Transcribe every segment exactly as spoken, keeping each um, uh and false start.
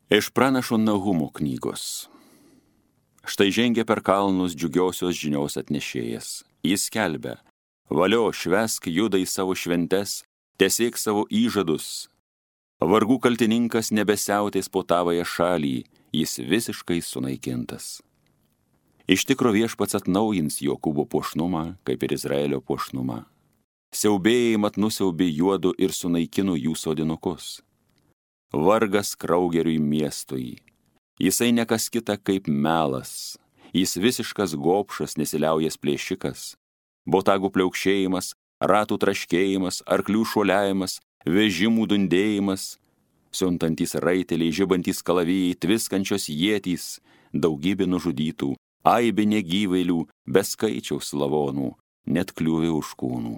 Iš pranašo Nahumo knygos. Štai žengia per kalnus džiugiosios žinios atnešėjas. Jis skelbia: valio, švęsk, juda į savo šventes, tesėk savo įžadus. Vargų kaltininkas nebesiautės po tavąją šalį, jis visiškai sunaikintas. Iš tikro viešpats atnaujins Jokūbo puošnumą, kaip ir Izraelio puošnumą. Siaubėjai mat nusiaubė juodu ir sunaikino jų sodinukus. Vargas kraugeriui miestui. Jisai nekas kita kaip melas. Jis visiškas gobšas, nesiliaujas plėšikas. Botagų pliaukšėjimas, ratų traškėjimas, arklių šuoliavimas, vežimų dundėjimas, siuntantys raiteliai, žibantys kalavijai, tviskančios ietys, daugybė nužudytų, aibė negyvailių, be skaičiaus lavonų, net kliūvė už kūnų.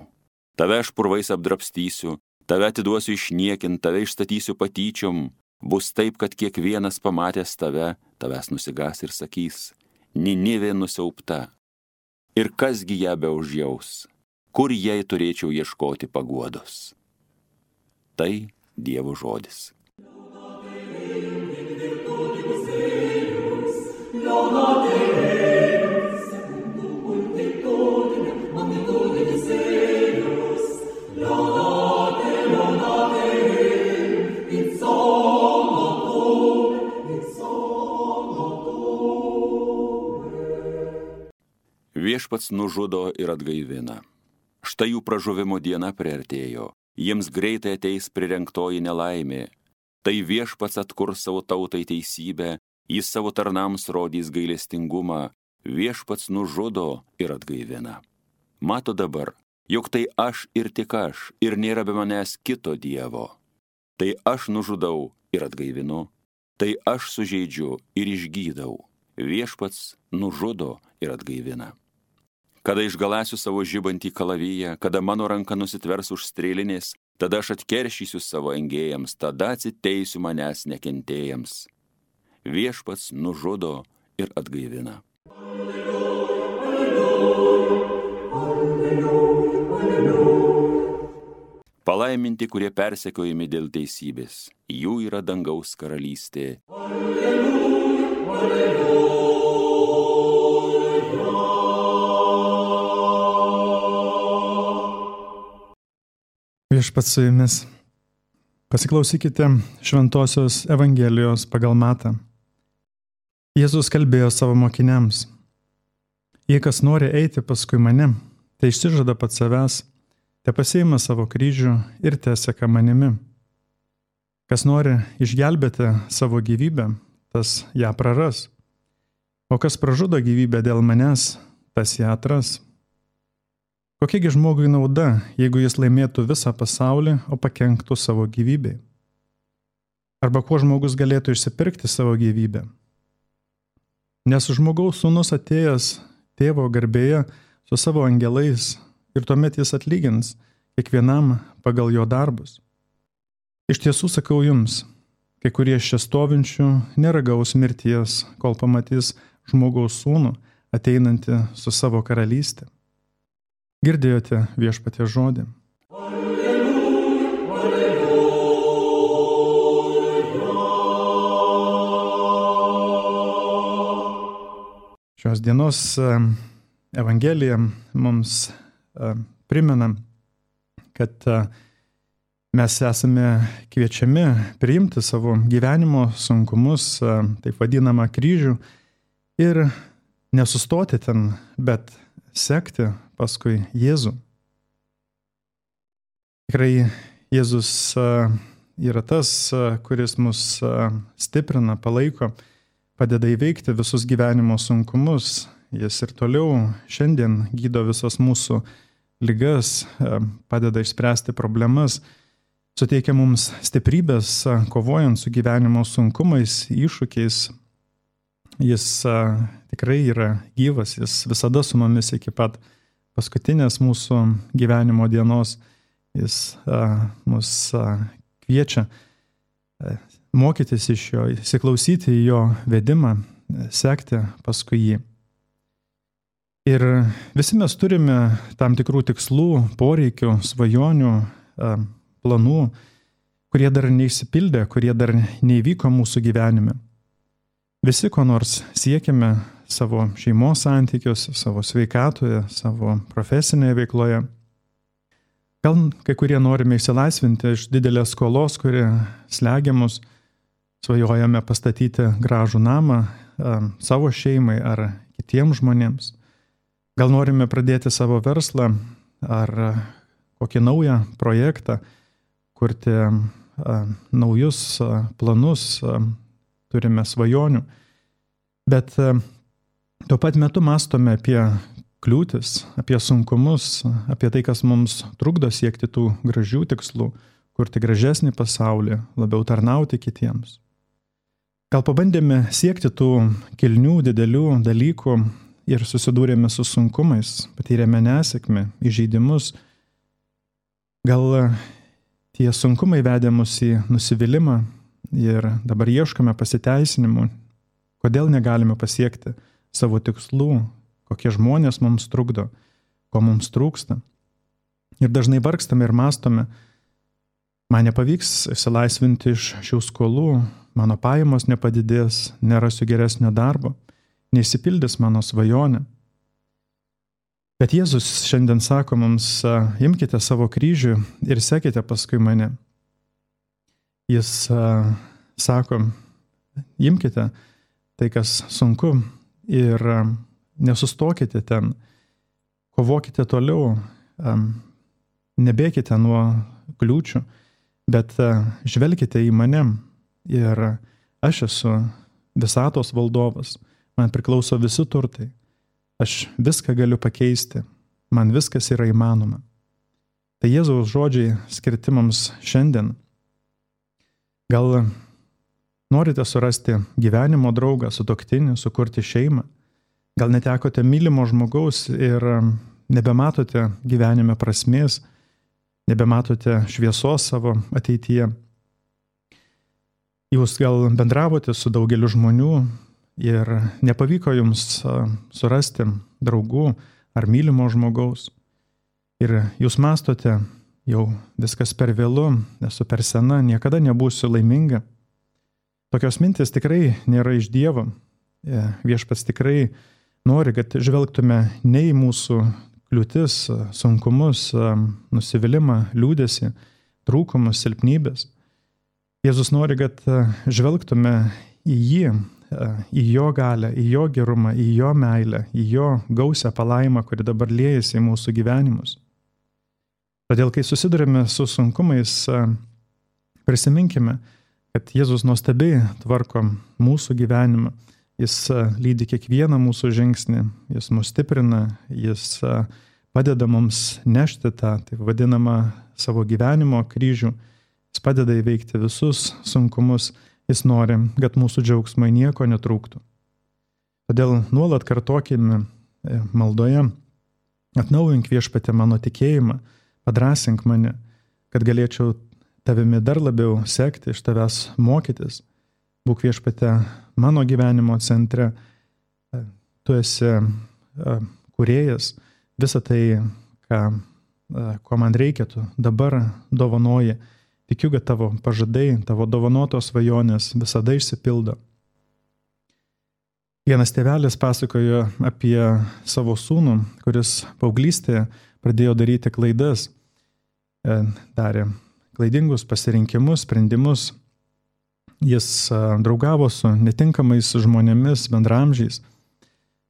Tave aš purvais apdrabstysiu, tave atiduosiu išniekint, tave išstatysiu patyčiom. Bus taip, kad kiekvienas pamatęs tave, tavęs nusigas ir sakys: Ninivė nusiaubta. Ir kasgi ją beužjaus, kur jai turėčiau ieškoti paguodos. Tai Dievo žodis. Viešpats nužudo ir atgaivina. Štai jų pražuvimo diena priartėjo, jiems greitai ateis prirengtoji nelaimė. Tai viešpats atkurs savo tautai teisybę, jis savo tarnams rodys gailestingumą, viešpats nužudo ir atgaivina. Mato dabar, jog tai aš ir tik aš, ir nėra be manęs kito Dievo. Tai aš nužudau ir atgaivinu, tai aš sužeidžiu ir išgydau, viešpats nužudo ir atgaivina. Kada išgalasiu savo žibantį kalaviją, kada mano ranka nusitvers už strėlinės, tada aš atkeršysiu savo engėjams, tada atsiteisiu manęs nekentėjams. Viešpats nužudo ir atgaivina. Palaiminti, kurie persekiojami dėl teisybės, jų yra dangaus karalystė. Alleluja, alleluja. Viešpats su jumis. Pasiklausykite Šventosios Evangelijos pagal Matą. Jėzus kalbėjo savo mokiniams: jei kas nori eiti paskui mane, tai išsižada pats savęs, te pasiima savo kryžių ir teseka manimi. Kas nori išgelbėti savo gyvybę, tas ją praras. O kas pražudo gyvybę dėl manęs, tas ją atras. Kokiegi žmogui nauda, jeigu jis laimėtų visą pasaulį, o pakenktų savo gyvybei? Arba kuo žmogus galėtų išsipirkti savo gyvybę? Nes žmogaus sūnus atėjęs tėvo garbėje su savo angelais ir tuomet jis atlygins kiekvienam pagal jo darbus. Iš tiesų sakau jums, kai kurie iš čia stovinčių neragaus mirties, kol pamatys žmogaus sūnų ateinantį su savo karalystė. Girdėjote viešpaties žodį. Alleluja, alleluja. Šios dienos Evangelija mums primena, kad mes esame kviečiami priimti savo gyvenimo sunkumus, taip vadinamą kryžių, ir nesustoti ten, bet sekti paskui Jėzų. Tikrai Jėzus yra tas, kuris mus stiprina, palaiko, padeda įveikti visus gyvenimo sunkumus. Jis ir toliau šiandien gydo visas mūsų ligas, padeda išspręsti problemas, suteikia mums stiprybės, kovojant su gyvenimo sunkumais, iššūkiais. Jis tikrai yra gyvas, jis visada su mumis iki pat paskutinės mūsų gyvenimo dienos. Jis a, mus a, kviečia a, mokytis iš jo, įsiklausyti į jo vedimą, sekti paskui jį. Ir visi mes turime tam tikrų tikslų, poreikių, svajonių, a, planų. kurie dar neišsipildė, kurie dar neįvyko mūsų gyvenime. Visi ko nors siekime savo šeimos santykiuose, savo sveikatoje, savo profesinėje veikloje. Gal kai kurie norime išsilaisvinti iš didelės skolos, kuri slegia mus, svajojame pastatyti gražų namą a, savo šeimai ar kitiems žmonėms. Gal norime pradėti savo verslą ar kokį naują projektą, kurti a, naujus a, planus, a, turime svajonių. Bet a, tuo pat metu mąstome apie kliūtis, apie sunkumus, apie tai, kas mums trukdo siekti tų gražių tikslų, kurti gražesnį pasaulį, labiau tarnauti kitiems. Gal pabandėme siekti tų kilnių, didelių dalykų ir susidūrėme su sunkumais, patyrėme nesėkmę, įžeidimus. Gal tie sunkumai vedė mus į nusivylimą ir dabar ieškome pasiteisinimų, kodėl negalime pasiekti savo tikslų, kokie žmonės mums trukdo, ko mums trūksta. Ir dažnai vargstame ir mąstome, man nepavyks išsilaisvinti iš šių skolų, mano pajamos nepadidės, nerasiu geresnio darbo, neišsipildys mano svajonė. Bet Jėzus šiandien sako mums, imkite savo kryžių ir sekite paskui mane. Jis uh, sako, imkite tai, kas sunku ir uh, nesustokite ten, kovokite toliau, um, nebėkite nuo kliūčių, bet uh, žvelkite į mane ir aš esu visatos valdovas, man priklauso visi turtai, aš viską galiu pakeisti, man viskas yra įmanoma. Tai Jėzaus žodžiai skirti mums šiandien. Gal norite surasti gyvenimo draugą, sutuoktinį, sukurti šeimą? Gal netekote mylimo žmogaus ir nebematote gyvenime prasmės, nebematote šviesos savo ateityje? Jūs gal bendravote su daugeliu žmonių ir nepavyko jums surasti draugų ar mylimo žmogaus. Ir jūs mąstote, jau viskas per vėlu, esu per sena, niekada nebūsiu laiminga. Tokios mintis tikrai nėra iš Dievo. Viešpats tikrai nori, kad žvelgtume ne į mūsų kliūtis, sunkumus, nusivylimą, liūdesį, trūkumus, silpnybės. Jėzus nori, kad žvelgtume į jį, į jo galę, į jo gerumą, į jo meilę, į jo gausią palaimą, kuri dabar liejasi į mūsų gyvenimus. Todėl, kai susidurime su sunkumais, prisiminkime, kad Jėzus nuostabiai tvarko mūsų gyvenimą. Jis lydi kiekvieną mūsų žingsnį, jis mus stiprina, jis padeda mums nešti tą, taip vadinamą, savo gyvenimo kryžių. Jis padeda įveikti visus sunkumus, jis nori, kad mūsų džiaugsmai nieko netrūktų. Todėl nuolat kartokime maldoje, atnaujink Viešpatie mano tikėjimą, padrąsink mane, kad galėčiau tavimi dar labiau sekti, iš tavęs mokytis. Būk Viešpatie mano gyvenimo centre, tu esi kūrėjas, visą tai, ką, ko man reikia, tu dabar dovanoji. Tikiu, kad tavo pažadai, tavo dovanotos svajonės visada išsipildo. Vienas tėvelis pasakojo apie savo sūnų, kuris paauglystėje pradėjo daryti klaidas, darė klaidingus pasirinkimus, sprendimus. Jis draugavo su netinkamais žmonėmis, bendraamžiais.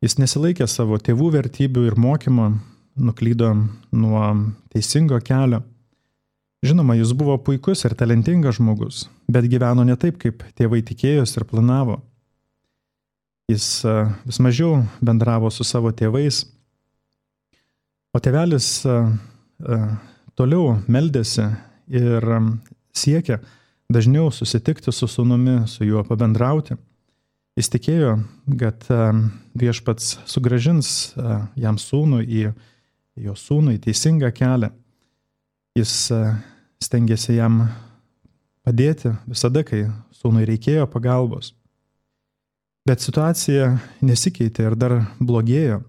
Jis nesilaikė savo tėvų vertybių ir mokymo, nuklydo nuo teisingo kelio. Žinoma, jis buvo puikus ir talentingas žmogus, bet gyveno ne taip, kaip tėvai tikėjosi ir planavo. Jis vis mažiau bendravo su savo tėvais, o tėvelis toliau meldėsi ir siekė dažniau susitikti su sūnumi, su juo pabendrauti. Jis tikėjo, kad Viešpats sugrąžins jam sūnų į jo sūnų į teisingą kelią. Jis stengėsi jam padėti visada, kai sūnui reikėjo pagalbos. Bet situacija nesikeitė ir dar blogėjo.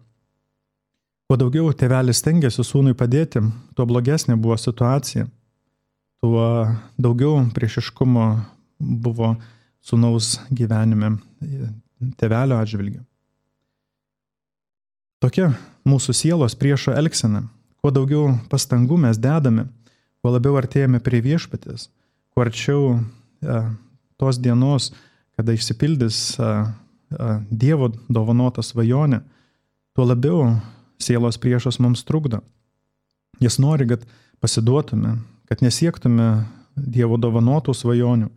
Kuo daugiau tėvelis stengėsi sūnui padėti, tuo blogesnė buvo situacija. tuo daugiau priešiškumo buvo sūnaus gyvenime tėvelio atžvilgiu. Tokia mūsų sielos priešo elgsena. Kuo daugiau pastangų mes dedame, kuo labiau artėjame prie viešpaties, kuo arčiau a, tos dienos, kada išsipildys a, a, Dievo dovanota svajonė, tuo labiau sielos priešas mums trukdo. Jis nori, kad pasiduotume, kad nesiektume Dievo dovanotų svajonių,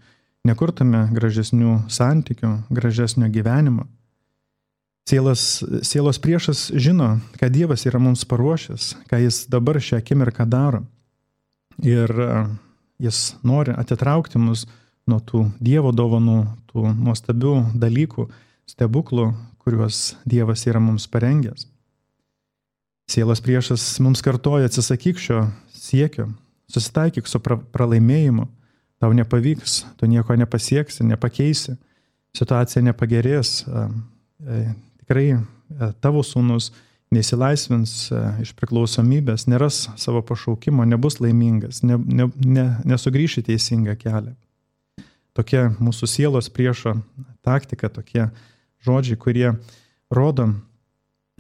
nekurtume gražesnių santykių, gražesnio gyvenimo. Sielas, sielos priešas žino, ką Dievas yra mums paruošęs, ką jis dabar šią akimirką daro. Ir jis nori atitraukti mus nuo tų Dievo dovanų, tų nuostabių dalykų, stebuklų, kuriuos Dievas yra mums parengęs. Sielos priešas mums kartoja: atsisakyk šio siekio, susitaikyk su pra- pralaimėjimu, tau nepavyks, tu nieko nepasieksi, nepakeisi, situacija nepagerės. Tikrai tavo sūnus neįsilaisvins iš priklausomybės, neras savo pašaukimo, nebus laimingas, ne, ne, ne, nesugrįš į teisingą kelią. Tokia mūsų sielos priešo taktika, tokie žodžiai, kurie rodo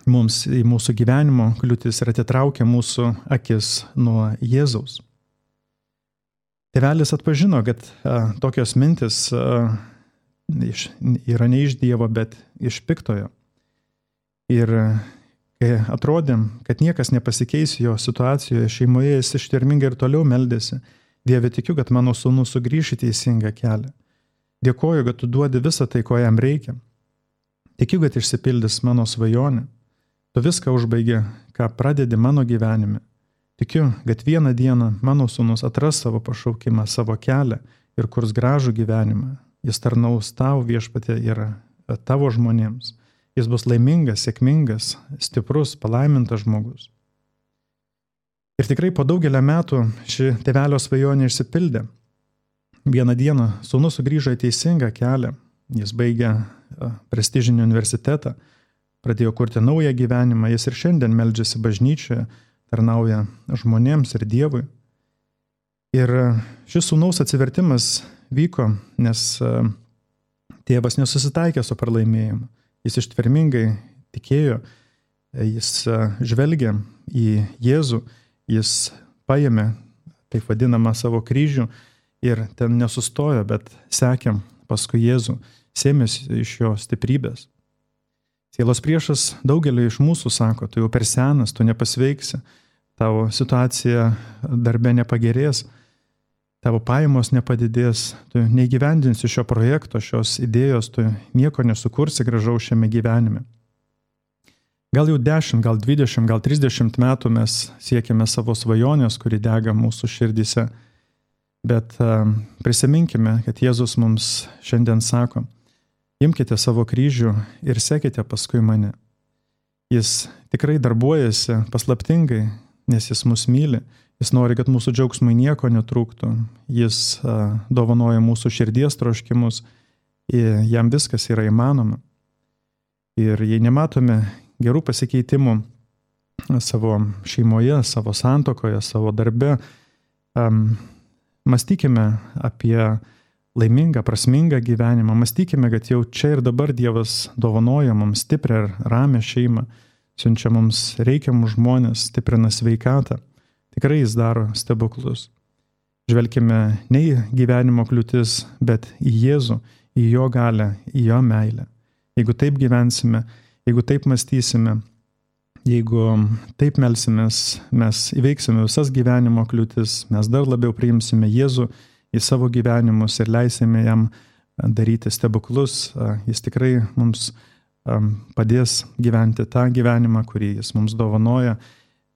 mums į mūsų gyvenimo kliūtis ir atitraukia mūsų akis nuo Jėzaus. Tėvelis atpažino, kad a, tokios mintis a, iš, yra ne iš Dievo, bet iš piktojo. Ir kai atrodė, kad niekas nepasikeis jo situacijoje, šeimoje, jis ištvermingai ir toliau meldėsi: Dieve, tikiu, kad mano sūnus sugrįš į teisingą kelią. Dėkoju, kad tu duodi visą tai, ko jam reikia. Tikiu, kad išsipildys mano svajonė. Tu viską užbaigi, ką pradedi mano gyvenime. Tikiu, kad vieną dieną mano sūnus atras savo pašaukimą, savo kelią ir kurs gražų gyvenimą. Jis tarnaus tau, Viešpatie, ir tavo žmonėms. Jis bus laimingas, sėkmingas, stiprus, palaimintas žmogus. Ir tikrai po daugelio metų ši tėvelio svajonė išsipildė. Vieną dieną sūnus sugrįžo į teisingą kelią. Jis baigė prestižinį universitetą, pradėjo kurti naują gyvenimą. Jis ir šiandien meldžiasi bažnyčioje, tarnauja žmonėms ir Dievui. Ir šis sūnaus atsivertimas vyko, nes tėvas nesusitaikė su pralaimėjimu. Jis ištvermingai tikėjo, jis žvelgė į Jėzų, jis paėmė, taip vadinamą, savo kryžių ir ten nesustojo, bet sekė paskui Jėzų, sėmėsi iš jo stiprybės. Sielos priešas daugeliu iš mūsų sako: tu jau per senas, tu nepasveiksi, tavo situacija darbe nepagerės, tavo pajamos nepadidės, tu neįgyvendinsi šio projekto, šios idėjos, tu nieko nesukursi gražaus šiame gyvenime. Gal jau dešimt, gal dvidešimt, gal trisdešimt metų mes siekiame savo svajonės, kuri dega mūsų širdyse, bet uh, prisiminkime, kad Jėzus mums šiandien sako: imkite savo kryžių ir sekite paskui mane. Jis tikrai darbuojasi paslaptingai, nes jis mus myli. Jis nori, kad mūsų džiaugsmai nieko netrūktų. Jis a, dovanoja mūsų širdies troškimus. Jam viskas yra įmanoma. Ir jei nematome gerų pasikeitimų savo šeimoje, savo santuokoje, savo darbe, um, mąstykime apie laimingą, prasmingą gyvenimą. Mąstykime, kad jau čia ir dabar Dievas dovanoja mums stiprią ir ramią šeimą, siunčia mums reikiamus žmonės, stiprina sveikatą. Tikrai jis daro stebuklus. Žvelkime ne į gyvenimo kliūtis, bet į Jėzų, į jo galią, į jo meilę. Jeigu taip gyvensime, jeigu taip mąstysime, jeigu taip melsimės, mes įveiksime visas gyvenimo kliūtis, mes dar labiau priimsime Jėzų į savo gyvenimus ir leisime jam daryti stebuklus. Jis tikrai mums padės gyventi tą gyvenimą, kurį jis mums dovanoja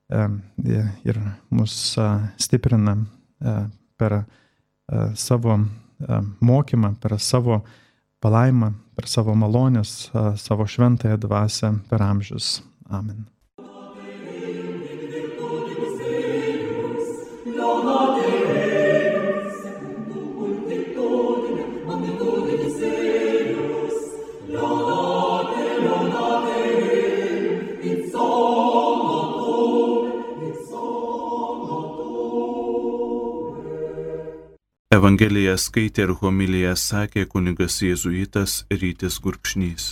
ir mus stiprina per savo mokymą, per savo palaimą, per savo malonės, savo šventąją dvasią per amžius. Amen. Evangeliją skaitė ir homiliją sakė kunigas jėzuitas Rytis Gurkšnys.